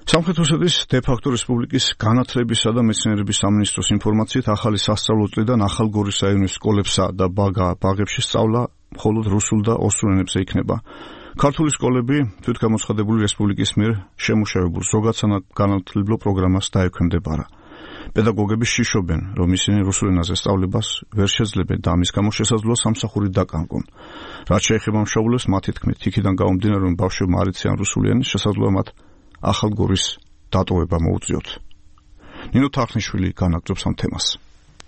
სამხრეთ ოსეთის დე-ფაქტო რესპუბლიკის განათლებისა და მეცნიერების სამინისტროს ინფორმაციით ახალი სასწავლო წლიდან ახალგორის რაიონის სკოლებსა და ბაღებში სწავლა მხოლოდ რუსულ და ოსურ ენებზე იქნება. ქართული სკოლები თვითგამოცხადებული რესპუბლიკის მიერ შემუშავებულ ზოგადსაგანმანათლებლო პროგრამას დაექვემდებარა. პედაგოგები შიშობენ, რომ ისინი რუსულ ენაზე სწავლებას ვერ შეძლებენ და ამის გამო შესაძლოა სამსახური დაკარგონ. რაც შეეხება მშობლებს, მათი თქმით, იქიდან გამომდინარე, რომ ბავშვებმა არ იციან რუსული ენა, შესაძლოა მათ ახალგორის დატოვება მოუწიოთ. ნინო თარხნიშვილი განაგრძობს ამ თემას.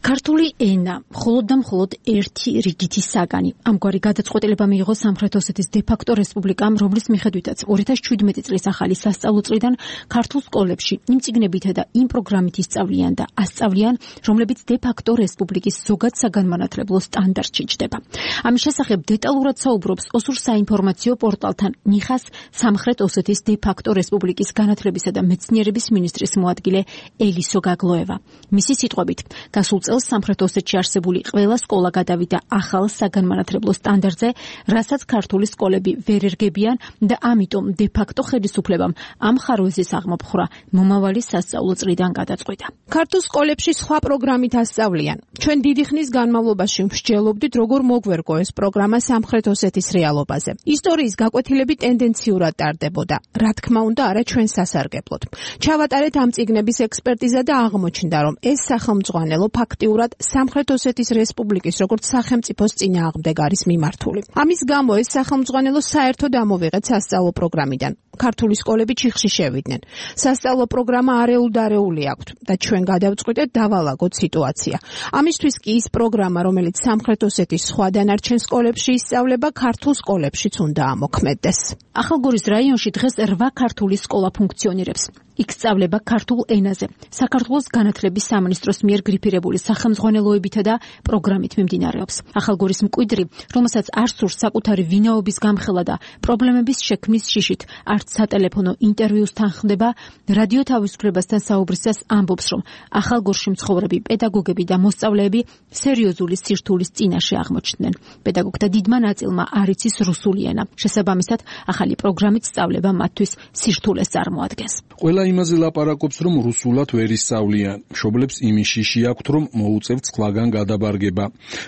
ქართული ენა მხოლოდ და მხოლოდ ერთი რიგითი საგანი. ამგვარი გადაწყვეტილება მიიღო სამხრეთ ოსეთის დე-ფაქტო რესპუბლიკამ, რომლის მიხედვითაც 2017 წლის ახალი სასწავლო წლიდან ქართულ სკოლებში იმ წიგნებითა და იმ პროგრამით ისწავლიან და ასწავლიან, რომლებიც დე-ფაქტო რესპუბლიკის ზოგად საგანმანათლებლო სტანდარტში ჩნდება. ამის შესახებ დეტალურად საუბრობს ოსურ საინფორმაციო პორტალთან ნიხას სამხრეთ ოსეთის დე-ფაქტო რესპუბლიკის განათლებისა და მეცნიერების მინისტრის მოადგილე ელისო გაგლოევა. მისი სიტყვებით, გასულ წელს სამხრეთ ოსეთში არსებული ყველა სკოლა გადავიდა ახალ საგანმანათლებლო სტანდარტზე, რასაც ქართული სკოლები ვერ ერგებიან და ამიტომ დე-ფაქტო ხელისუფლებამ ამ ხარვეზის აღმოფხვრა მომავალი სასწავლო წლიდან გადაწყვიტა. ქართულ სკოლებში სხვა პროგრამით ასწავლიან. ჩვენ დიდი ხნის განმავლობაში მსჯელობდით, როგორ მოგვერგო ეს პროგრამა სამხრეთ ოსეთის რეალობაზე. ისტორიის გაკვეთილები ტენდენციურად ტარდებოდა. რა თქმა უნდა, არა ჩვენ სასარგებლოდ. ჩავატარეთ ამ წიგნების ექსპერტიზა და აღმოჩნდა, რომ ეს სახელმძღვანელო ფაქტიურად სამხრეთ ოსეთის რესპუბლიკის როგორც სახელმწიფოს წინააღმდეგ არის მიმართული. ამის გამო ეს სახელმძღვანელო საერთოდ ამოვიღეთ სასწავლო პროგრამიდან. ქართული სკოლები ჩიხში შევიდნენ. სასწავლო პროგრამა არეულ-დარეული აქვთ და ჩვენ გადავწყვიტეთ დავალაგოთ სიტუაცია. ამისთვის კი ის პროგრამა, რომელიც სამხრეთ ოსეთის სხვა დანარჩენ სკოლებში ისწავლება, ქართულ სკოლებშიც უნდა ამოქმედდეს. ახალგორის რაიონში დღეს 8 ქართული სკოლა ფუნქციონირებს. იქ სწავლება ქართულ ენაზე. საქართველოს განათლების სამინისტროს მიერ გრიფირებული სახელმძღვანელოებითა და პროგრამით მიმდინარეობს. ახალგორის მკვიდრი, რომელსაც არ სურს საკუთარი ვინაობის გამხელა და პრობლემების შექმნის შიშით არც სატელეფონო ინტერვიუს თანხმდება, რადიო თავისუფლებასთან საუბრისას ამბობს, რომ ახალგორში მცხოვრები პედაგოგები და მოსწავლეები სერიოზული სირთულის წინაშე აღმოჩნდნენ. პედაგოგთა დიდმა ნაწილმა არ იცის რუსული ენა. შესაბამისად, ახალი პროგრამით სწავლება მათთვის სირთულეს წარმოადგენს. ყველა იმაზე ლაპარაკობს, რომ რუსულად ვერ ისწავლიან. მშობლებს იმის შიში აქვთ, რომ მოუწევთ სხვაგან გადაბარგება.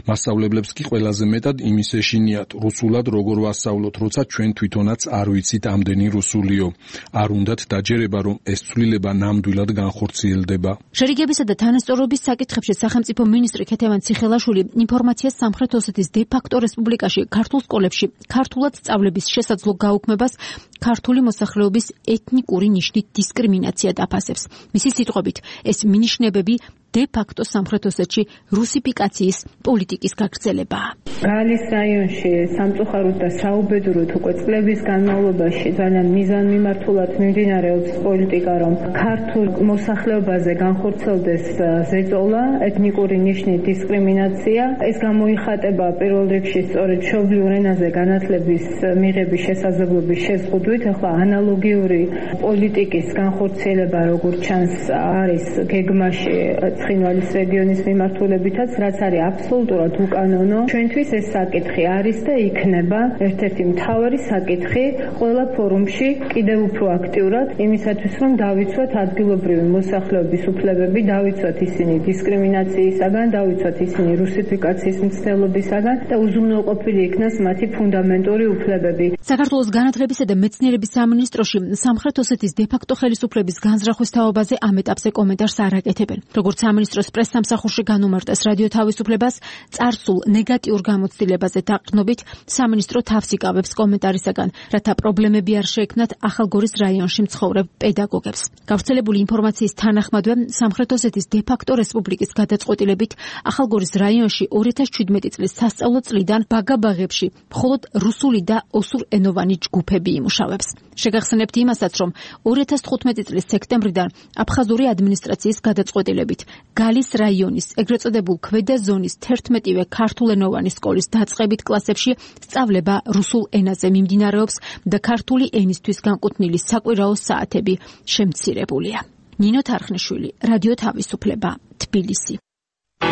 მასწავლებლებს კი ყველაზე მეტად იმის ეშინიათ, რუსულად როგორ ვასწავლოთ, როცა ჩვენ თვითონაც არ ვიცით ამდენი რუსულიო. არ უნდათ დაჯერება, რომ ეს ცვლილება ნამდვილად განხორციელდება. შერიგებისა და თანასწორობის საკითხებში სახელმწიფო მინისტრი ქეთევან ციხელაშვილი ინფორმაციას სამხრეთ ოსეთის დე-ფაქტო რესპუბლიკაში ქართულ სკოლებში ქართულად სწავლების შესაძლო გაუქმებას ქართული მოსახლეობის ეთნიკური ნიშნით დისკრიმინაცია დაფასებს. მისი სიტყვებით, ეს მინიშნებები დე-ფაქტო სამხრეთ ოსეთში რუსიფიკაციის პოლიტიკის გაგრძელებაა. გალის რაიონში სამწუხაროდ და საუბედუროდ უკვე წლების განმავლობაში ძალიან მიზანმიმართულად მიმდინარეობს პოლიტიკა, რომ ქართულ მოსახლეობაზე განხორციელდეს ზეწოლა, ეთნიკური ნიშნით დისკრიმინაცია. ეს გამოიხატება პირველ რიგში სწორედ მშობლიურ ენაზე განათლების მიღების შესაძლებლობის შეზღუდვით. ახლა ანალოგიური პოლიტიკის განხორციელება, როგორც ჩანს, არის გეგმაში ცხინვალის რეგიონის მიმართულებითაც, რაც არის აბსოლუტურად უკანონო. ჩვენთვის ეს საკითხი არის და იქნება ერთ-ერთი მთავარი საკითხი ყველა ფორუმში კიდევ უფრო აქტიურად, იმისათვის, რომ დავიცვათ ადგილობრივი მოსახლეობის უფლებები, დავიცვათ ისინი დისკრიმინაციისაგან, დავიცვათ ისინი რუსიფიკაციის მცდელობისაგან და უზრუნველყოფილი იქნას მათი ფუნდამენტური უფლებები. საქართველოს განათლებისა და მეცნიერების სამინისტროში სამხრეთ ოსეთის დე-ფაქტო ხელისუფლების განზრახვის თაობაზე ამ ეტაპზე კომენტარს არ აკეთებენ. როგორც სამინისტროს პრესსამსახურში განუმარტეს რადიო თავისუფლებას, წარსულ ნეგატიურ გამოცდილებაზე დაყრდნობით სამინისტრო თავს იკავებს კომენტარისაგან, რათა პრობლემები არ შეექმნათ ახალგორის რაიონში მცხოვრებ პედაგოგებს. გავრცელებული ინფორმაციის თანახმადვე სამხრეთ ოსეთის დე-ფაქტო რესპუბლიკის გადაწყვეტილებით ახალგორის რაიონში 2017 წლის სასწავლო წლიდან ბაღებში მხოლოდ რუსული და ოსურენოვანი ჯგუფები იმუშავებს. შეგახსენებთ იმასაც, რომ 2015 წლის სექტემბრიდან აფხაზური ადმინისტრაციის გადაწყვეტილებით გალის რაიონის ეგრეთ წოდებულ ქვედა ზონის 11-ვე ქართულენოვანი სკოლის დაწყებით კლასებში სწავლება რუსულ ენაზე მიმდინარეობს და ქართული ენისთვის განკუთვნილი საკვირაო საათები შემცირებულია. ნინო თარხნიშვილი, რადიო თავისუფლება, თბილისი.